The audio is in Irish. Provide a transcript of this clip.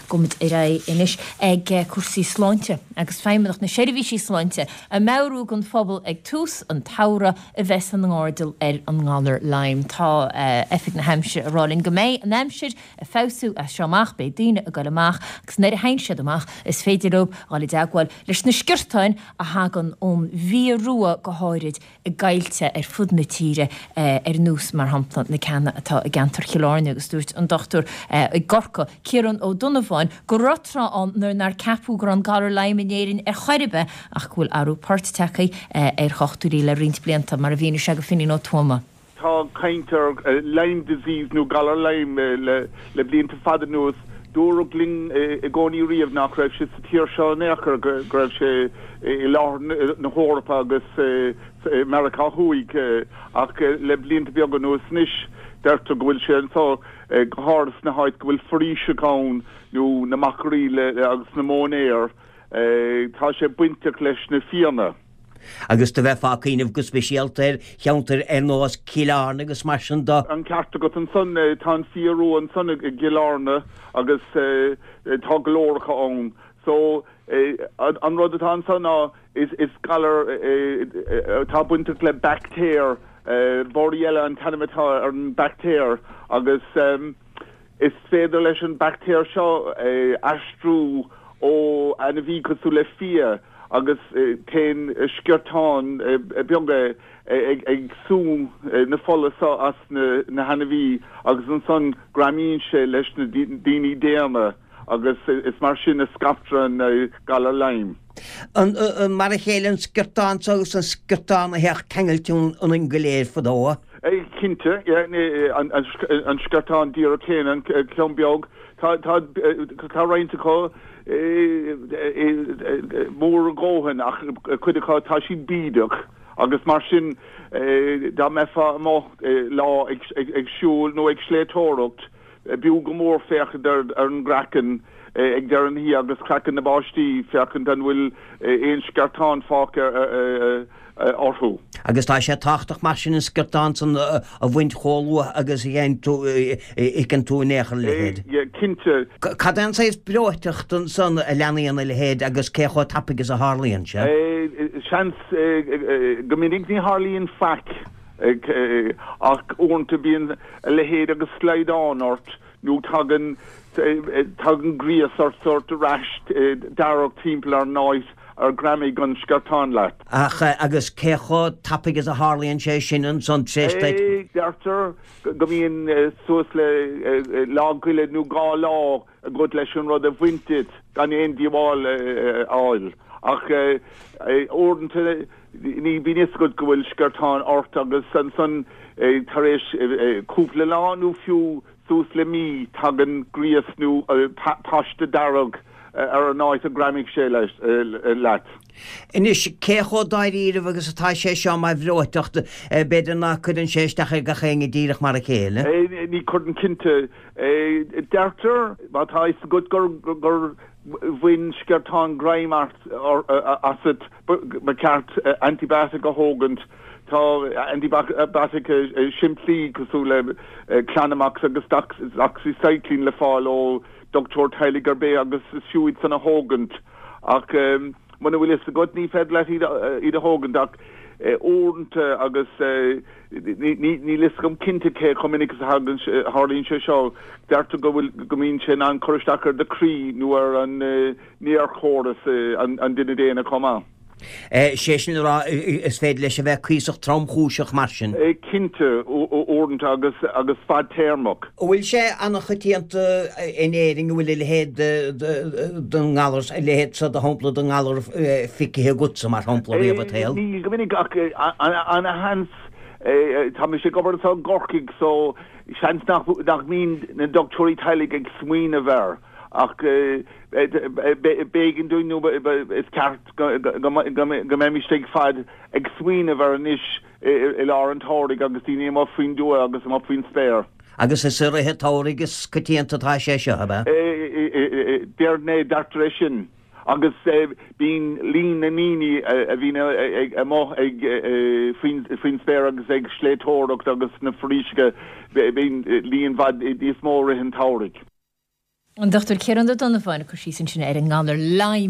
Gabhfaimid ar aghaidh anois ag cúrsaí sláinte agus Feidhmeannacht na Seirbhísí Sláinte ag meabhrú don phobal ag tús an tsamhraidh a bheith san airdeall ar an ngalar Lyme. Tá Oifig na hAimsire ag rá linn go mbeidh an aimsir ag feabhsú as seo amach, beidh daoine ag goil amach agus nuair a théann siad amach is féidir leo dhul i dteagmháil leis na sciortáin a thagann ón bhfia rua go háirid i gcoillte ar fud na tíre ar nós, mar shampla, na ceanna atá i gceantar Chill Airne agus dúirt an dochtúir i gCorcaigh, Ciarán Ó Donnabháin, go raibh tráth ann nuair nár ceapadh go raibh an galar Lyme in Éirinn ar chor ar bith ach go bhfuil athrú poirt tagtha ar dhochtúirí le roinnt blianta, mar a mhínigh sé go Finín Ó Tuama. Tá caint ar Lyme disease nó galar Lyme le blianta fada anuas. Dúradh linn i gcónaí riamh nach raibh sé sa tír seo in aon chor, go raibh sé i lár na hEorpa agus i Meiriceá Thuaidh ach le blianta beaga anuas anois deirtear go bhfuil sé anseo, go háirithe sna háit go bhfuil foraoiseacha ann nó na machairí agus na móinéir. Tá sé bainteach leis na fianna. Agus do bheifeá ag cuimhneamh go speisialta ar cheantair ar nós Cill Airne agus mar sin de. An ceart agat ansan. Tá an fia rua ansan i gCill Airne agus tá go leor acu ann. So, an rud atá ansan ná is galar atá bainteach le baictéar, Borrelia an t-ainm atá ar an baictéar agus Is féidir leis an baictéar seo aistriú ó ainmhí cosúil le fia agus téann sciortáin beaga ag sú na fola seo as na hainmhí agus ansan greamaíonn sé leis na daoine daonna agus is mar sin a scaiptear an galar Lyme. An mar a chéile an sciortán so agus an sciortán a théadh ceangailte ionainn go léir fadó? Cinnte, an sciortán díreach céanna, an ceann beag. Tá tá roinnt acu mór a dhóthain ach cuid acu tá siad bídeach agus mar sin dá mbeifeá amuigh lá ag siúl nó ag sléibhteoireacht, B'fhiú go mór féachaint ar an gcraiceann ag deireadh na hoíche agus craiceann na bpáistí, féachaint an bhfuil aon sciortán fágtha orthu. Agus tá sé tábhachtach mar sin an sciortán san a bhaint chomh luath agus a fheiceann tú in aon chor a leithéid. Cinnte. Cad é an saghas breoiteacht ansan a leanaíonn a leithéid agus cé chomh tapaidh is a tharlaíonn sé? Seans go minic ní tharlaíonn faic. Ach uaireanta bíonn a leithéid agus slaghdán ort nó tagann tagann gríos ort, sórt rash dearg timpeall ar an áit ar ghreamaigh an sciortán leat. Ach agus cé chomh tapaidh is a tharlaíonn sé sin ansan tar éis duit? Deirtear go mbíonn suas le lá goile nó 2 lá agat leis an rud a bhaint díot gan aon díobháil a fháil. Ach uaireanta ní bíonn fhios agat go bhfuil sciortán ort agus ansan tar éis cúpla lá nó fiú suas le mí tagann gríos nó paiste dearg ar an áit a ghreamaigh sé leat. Anois, cé chomh dáiríribh agus atá sé seo mar bhreoiteacht, b'fhéidir ná cuireann sé isteach ar gach éinne díreach mar a chéile? Ní chuireann cinnte. Deirtear, má tá fhios agat gur bhain sciortán greim asat, ba cheart antibiotic a thógaint. Tá antibiotic simplí cosúil le Clanamox agus Doxycycline le fáil ó dochtúir teaghlaigh ar bith agus is fiú iad san a thógaint. Ach muna bhfuil fhios agat, ní féidir leat iad a thógaint ach uaireanta agus níl fhios agam cinnte cé chomh minic is a tharlaíonn sé seo, deirtear go bhfuil, go mbíonn sé in ann cur isteach ar do chroí nó ar an néarchóras an duine daonna chomh maith. Sé sin le rá, is féidir leis a bheith cuíosach tromchúiseach mar sin. Cinnte, uaireanta agus agus fadtéarmach. An bhfuil sé an-choitianta in Éirinn, an bhfuil a leithéid den ngalar, a leithéid seo de shampla den ngalar feicthe agatsa, mar shampla, riamh i do shaol? Ní go minic ach ana-sheans, tá mise ag obair anseo i gCorcaigh so seans nach mbíonn na dochtúirí teaghlaigh ag smaoineamh air ach b'éigean dúinn nó is ceart go mbeimis ag fad ag smaoineamh air anois i lár an tsamhraidh agus daoine amuigh faoin dtuath agus amuigh faoin spéir. Agus is i rith an tsamhraidh is coitianta atá sé seo, ab ea? Déarfainn é, deirtear é sin. Agus bíonn líon na ndaoine a bhíonn amuigh ag faoin spéir agus ag sléibhteoireacht agus sna foraoiseacha, bíonn líon i bhfad níos mó i rith an tsamhraidh. An Dr Ciarán Ó Donnabháin ag cur síos ansin ar an ngalar Lyme.